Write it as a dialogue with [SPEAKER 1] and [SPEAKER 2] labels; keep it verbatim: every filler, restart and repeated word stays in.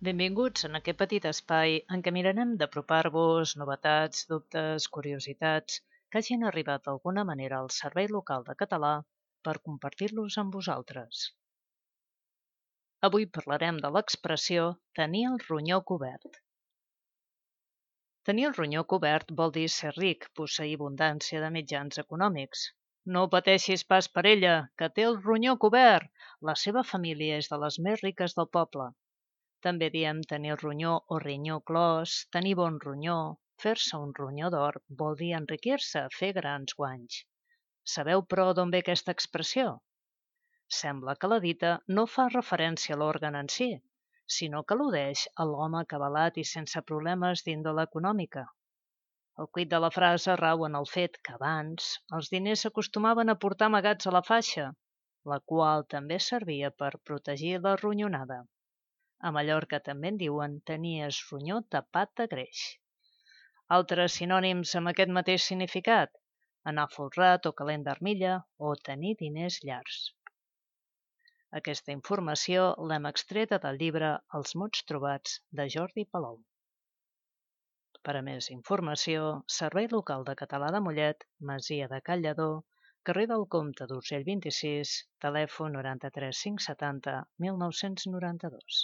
[SPEAKER 1] Benvinguts en aquest petit espai en què mirarem d'apropar-vos novetats, dubtes, curiositats que hagin arribat d'alguna manera al Servei Local de Català per compartir-los amb vosaltres. Avui parlarem de l'expressió tenir el ronyó cobert. Tenir el ronyó cobert vol dir ser ric, posseir abundància de mitjans econòmics. No pateixis pas per ella, que té el ronyó cobert. La seva família és de les més riques del poble. També diem tenir el ronyó o rinyó clos, tenir bon ronyó, fer-se un ronyó d'or vol dir enriquir-se, fer grans guanys. Sabeu, però, d'on ve aquesta expressió? Sembla que la dita no fa referència a l'òrgan en si, sinó que al·ludeix a l'home acabalat i sense problemes d'índole econòmica. El quid de la frase rau en el fet que abans els diners s'acostumaven a portar amagats a la faixa, la qual també servia per protegir la ronyonada. A Mallorca també en diuen tenir es ronyó tapat de greix. Altres sinònims amb aquest mateix significat: anar folrat o calent d'armilla o tenir diners llargs. Aquesta informació l'hem extreta del llibre Els mots trobats de Jordi Palou. Per a més informació, Servei Local de Català de Mollet, Masia de Cal Lledó, carrer del Comte d'Urgell vint-i-sis, telèfon noranta-tres cinc setanta mil nou-cents noranta-dos.